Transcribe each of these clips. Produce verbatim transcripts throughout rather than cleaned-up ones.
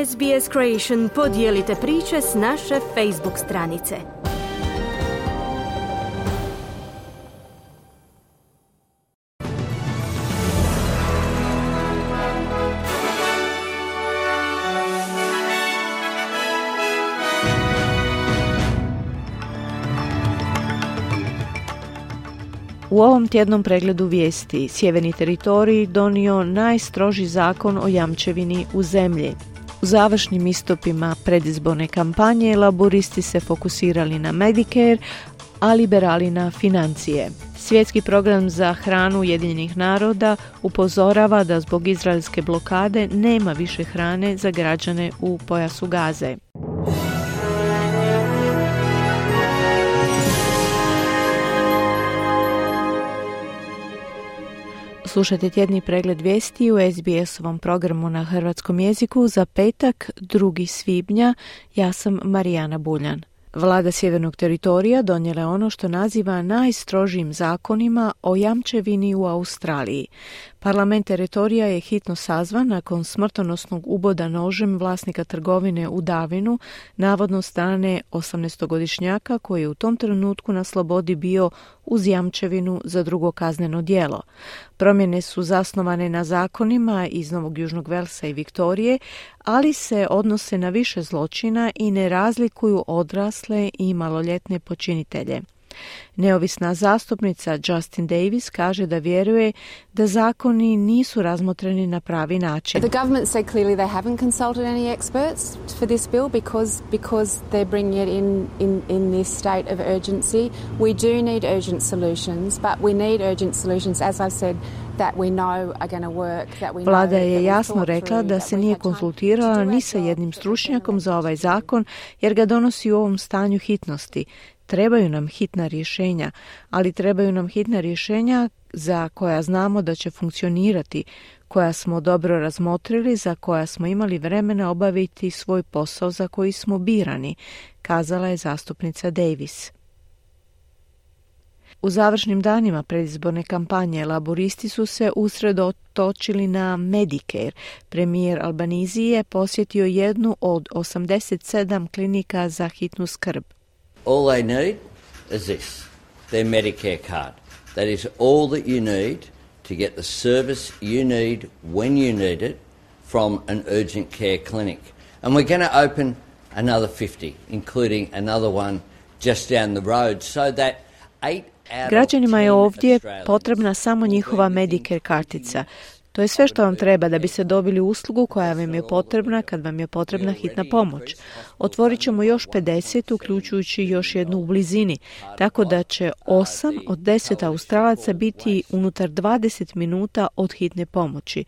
S B S Creation podijelite priče s naše Facebook stranice. U ovom tjednom pregledu vijesti Sjeverni teritorij donio najstroži zakon o jamčevini u zemlji. U završnim istupima predizborne kampanje laburisti se fokusirali na Medicare, a liberali na financije. Svjetski program za hranu Ujedinjenih naroda upozorava da zbog izraelske blokade nema više hrane za građane u pojasu Gaze. Slušajte tjedni pregled vijesti u S B S-ovom programu na hrvatskom jeziku za petak, drugi svibnja. Ja sam Marijana Buljan. Vlada Sjevernog teritorija donijela je ono što naziva najstrožijim zakonima o jamčevini u Australiji. Parlament teritorija je hitno sazvan nakon smrtonosnog uboda nožem vlasnika trgovine u Darwinu, navodno strane osamnaestogodišnjaka koji je u tom trenutku na slobodi bio uz jamčevinu za drugo kazneno djelo. Promjene su zasnovane na zakonima iz Novog Južnog Velsa i Viktorije, ali se odnose na više zločina i ne razlikuju odrasle i maloljetne počinitelje. Neovisna zastupnica Justin Davis kaže da vjeruje da zakoni nisu razmotreni na pravi način. The government said clearly they haven't consulted any experts for this bill because because they're bringing it in in in this state of urgency. We do need urgent solutions, but we need urgent solutions, as I've said, that we know are going to work, that we know. Vlada je jasno rekla da se nije konzultirala ni sa jednim stručnjakom za ovaj zakon jer ga donosi u ovom stanju hitnosti. Trebaju nam hitna rješenja, ali trebaju nam hitna rješenja za koja znamo da će funkcionirati, koja smo dobro razmotrili, za koja smo imali vremena obaviti svoj posao za koji smo birani, kazala je zastupnica Davis. U završnim danima predizborne kampanje laburisti su se usredotočili na Medicare. Premijer Albanese je posjetio jednu od osamdeset sedam klinika za hitnu skrb. All they need is this, their Medicare card. That is all that you need to get the service you need when you need it from an urgent care clinic. And we're going to open another fifty, including another one just down the road, so that eight out of Građanima je ovdje Australians potrebna samo njihova Medicare kartica. To je sve što vam treba da biste dobili uslugu koja vam je potrebna kad vam je potrebna hitna pomoć. Otvorit ćemo još pedeset, uključujući još jednu u blizini, tako da će osam od deset Australaca biti unutar dvadeset minuta od hitne pomoći.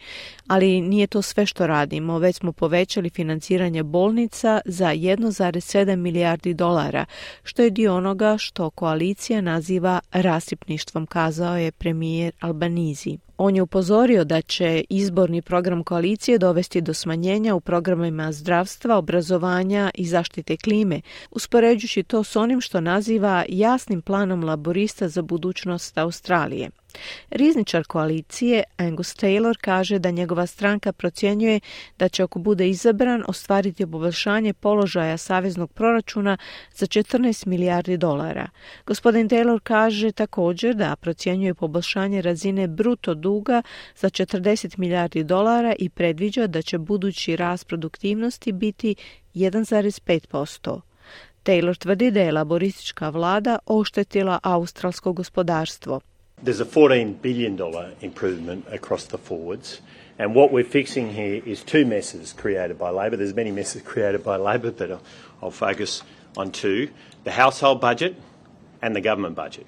Ali nije to sve što radimo, već smo povećali financiranje bolnica za jedan zarez sedam milijardi dolara, što je dio onoga što koalicija naziva rasipništvom, kazao je premijer Albanese. On je upozorio da će izborni program koalicije dovesti do smanjenja u programima zdravstva, obrazovanja i zaštite klime, uspoređujući to s onim što naziva jasnim planom laborista za budućnost Australije. Rizničar koalicije Angus Taylor kaže da njegova stranka procjenjuje da će, ako bude izabran, ostvariti poboljšanje položaja saveznog proračuna za četrnaest milijardi dolara. Gospodin Taylor kaže također da procjenjuje poboljšanje razine bruto duga za četrdeset milijardi dolara i predviđa da će budući rast produktivnosti biti jedan zarez pet posto. Taylor tvrdi da je laboristička vlada oštetila australsko gospodarstvo. There's a fourteen billion dollars improvement across the forwards, and what we're fixing here is two messes created by Labor. There's many messes created by Labor, but I'll, I'll focus on two, the household budget and the government budget.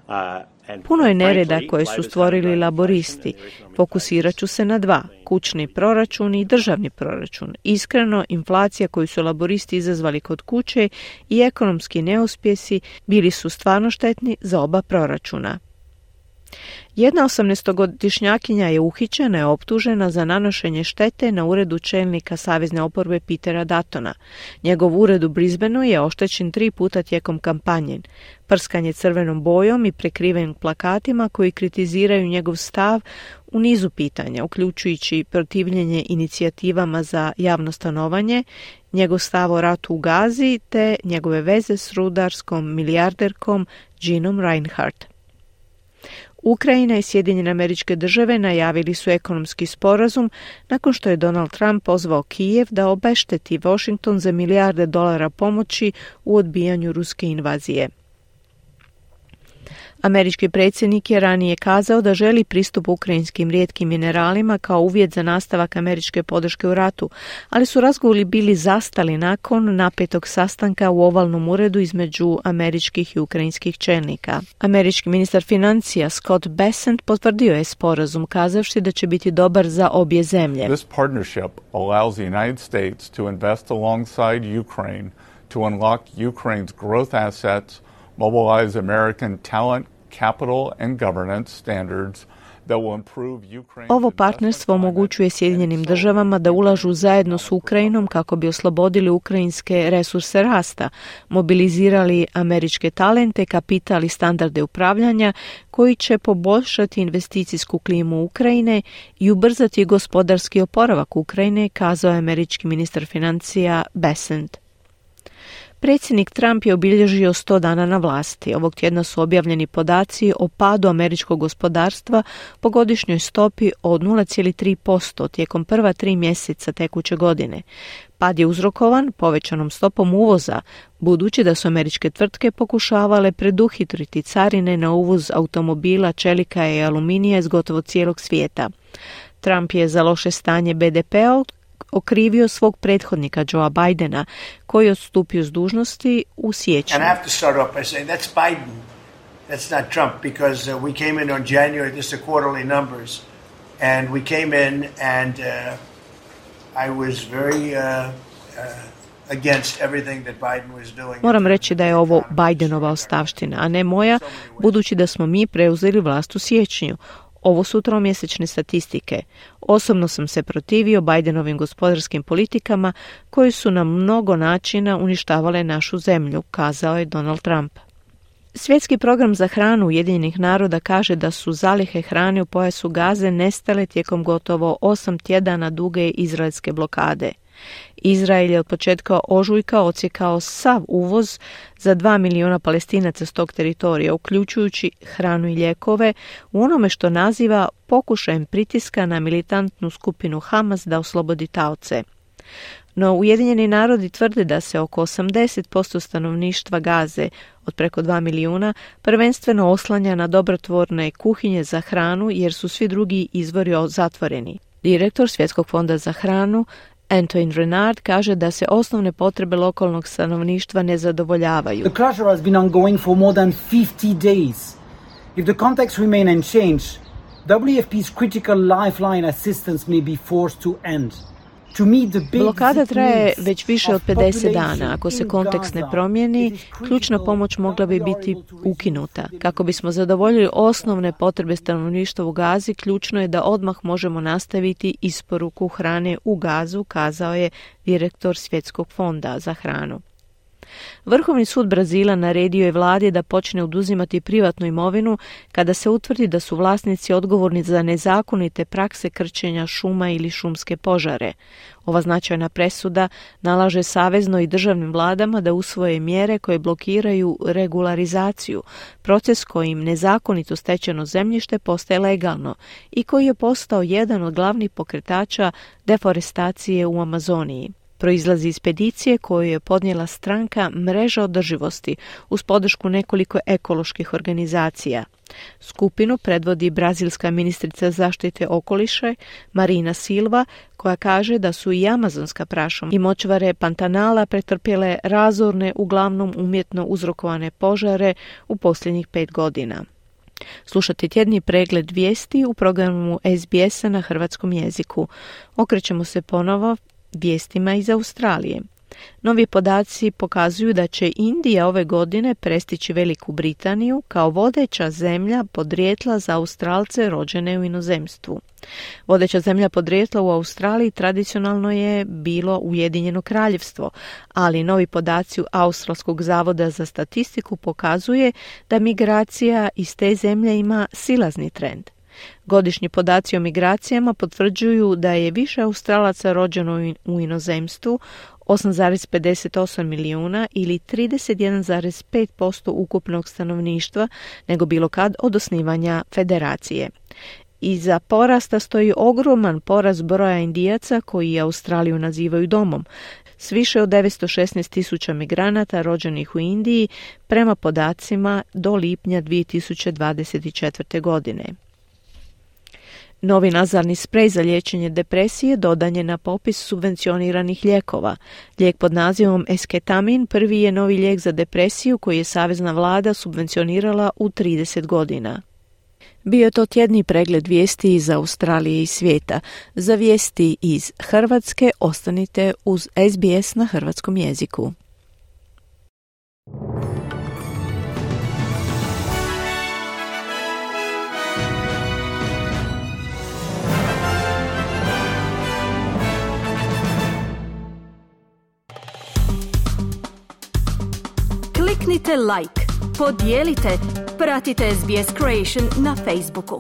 Uh, Puno je nereda koje su stvorili laboristi. Fokusirat ću se na dva, kućni proračun i državni proračun. Iskreno, inflacija koju su laboristi izazvali kod kuće i ekonomski neuspjesi bili su stvarno štetni za oba proračuna. Jedna osamnaestogodišnjakinja je uhićena i optužena za nanošenje štete na uredu čelnika savezne oporbe Petera Duttona. Njegov ured u Brisbaneu je oštećen tri puta tijekom kampanje. Prskanje crvenom bojom i prekriven plakatima koji kritiziraju njegov stav u nizu pitanja, uključujući protivljenje inicijativama za javno stanovanje, njegov stav o ratu u Gazi te njegove veze s rudarskom milijarderkom Jeanom Reinhardt. Ukrajina i Sjedinjene Američke Države najavili su ekonomski sporazum nakon što je Donald Trump pozvao Kijev da obešteti Washington za milijarde dolara pomoći u odbijanju ruske invazije. Američki predsjednik je ranije kazao da želi pristup ukrajinskim rijetkim mineralima kao uvjet za nastavak američke podrške u ratu, ali su razgovori bili zastali nakon napetog sastanka u ovalnom uredu između američkih i ukrajinskih čelnika. Američki ministar financija Scott Bessent potvrdio je sporazum kazavši da će biti dobar za obje zemlje. This partnership allows the United States to invest alongside Ukraine to unlock Ukraine's growth assets, mobilize American talent, capital and governance standards that will improve Ukraine's. Ovo partnerstvo omogućuje Sjedinjenim državama da ulažu zajedno s Ukrajinom kako bi oslobodili ukrajinske resurse rasta, mobilizirali američke talente, kapital i standarde upravljanja koji će poboljšati investicijsku klimu Ukrajine i ubrzati gospodarski oporavak Ukrajine, kazao je američki ministar financija Bessent. Predsjednik Trump je obilježio sto dana na vlasti. Ovog tjedna su objavljeni podaci o padu američkog gospodarstva po godišnjoj stopi od nula zarez tri posto tijekom prva tri mjeseca tekuće godine. Pad je uzrokovan povećanom stopom uvoza, budući da su američke tvrtke pokušavale preduhitriti carine na uvoz automobila, čelika i aluminija iz gotovo cijelog svijeta. Trump je za loše stanje be de pe-a okrivio svog prethodnika Joea Bidena, koji je odstupio s dužnosti u siječnju. And I have to start off by saying that's Biden. That's not Trump because uh, we came in on January, this are quarterly numbers, and we came in and uh, I was very uh, uh, against everything that Biden was doing. Moram reći da je ovo Bidenova ostavština, a ne moja, budući da smo mi preuzeli vlast u siječnju. Ovo su tromjesečne statistike. Osobno sam se protivio Bidenovim gospodarskim politikama koji su na mnogo načina uništavale našu zemlju, kazao je Donald Trump. Svjetski program za hranu Ujedinjenih naroda kaže da su zalihe hrane u pojasu Gaze nestale tijekom gotovo osam tjedana duge izraelske blokade. Izrael je od početka ožujka odsjekao sav uvoz za dva milijuna Palestinaca s tog teritorija, uključujući hranu i lijekove, u onome što naziva pokušajem pritiska na militantnu skupinu Hamas da oslobodi taoce. No Ujedinjeni narodi tvrde da se oko osamdeset posto stanovništva Gaze, od preko dva milijuna, prvenstveno oslanja na dobrotvorne kuhinje za hranu jer su svi drugi izvori zatvoreni. Direktor Svjetskog fonda za hranu Antoine Renard kaže da se osnovne potrebe lokalnog stanovništva ne zadovoljavaju. The closure has been ongoing for more than fifty days. If the context remain unchanged, W F P's critical lifeline assistance may be forced to end. Blokada traje već više od pedeset dana. Ako se kontekst ne promijeni, ključna pomoć mogla bi biti ukinuta. Kako bismo zadovoljili osnovne potrebe stanovništva u Gazi, ključno je da odmah možemo nastaviti isporuku hrane u Gazu, kazao je direktor Svjetskog fonda za hranu. Vrhovni sud Brazila naredio je vladi da počne oduzimati privatnu imovinu kada se utvrdi da su vlasnici odgovorni za nezakonite prakse krčenja šuma ili šumske požare. Ova značajna presuda nalaže savezno i državnim vladama da usvoje mjere koje blokiraju regularizaciju, proces kojim nezakonito stečeno zemljište postaje legalno i koji je postao jedan od glavnih pokretača deforestacije u Amazoniji. Proizlazi iz peticije koju je podnijela stranka Mreža održivosti uz podršku nekoliko ekoloških organizacija. Skupinu predvodi brazilska ministrica zaštite okoliša Marina Silva, koja kaže da su i amazonska prašuma i močvare Pantanala pretrpjele razorne, uglavnom umjetno uzrokovane požare u posljednjih pet godina. Slušate tjedni pregled vijesti u programu es be esa na hrvatskom jeziku. Okrećemo se ponovo vijestima iz Australije. Novi podaci pokazuju da će Indija ove godine prestići Veliku Britaniju kao vodeća zemlja podrijetla za Australce rođene u inozemstvu. Vodeća zemlja podrijetla u Australiji tradicionalno je bilo Ujedinjeno Kraljevstvo, ali novi podaci Australskog zavoda za statistiku pokazuje da migracija iz te zemlje ima silazni trend. Godišnji podaci o migracijama potvrđuju da je više Australaca rođeno u inozemstvu, osam zarez pedeset osam milijuna ili trideset jedan zarez pet posto ukupnog stanovništva, nego bilo kad od osnivanja federacije. Iza porasta stoji ogroman porast broja Indijaca koji Australiju nazivaju domom, s više od devetsto šesnaest tisuća migranata rođenih u Indiji prema podacima do lipnja dvije tisuće dvadeset četvrte. godine. Novi nazalni sprej za liječenje depresije dodan je na popis subvencioniranih lijekova. Lijek pod nazivom Esketamin prvi je novi lijek za depresiju koji je savezna vlada subvencionirala u trideset godina. Bio je to tjedni pregled vijesti iz Australije i svijeta. Za vijesti iz Hrvatske ostanite uz S B S na hrvatskom jeziku. Kliknite like, podijelite, pratite S B S Creation na Facebooku.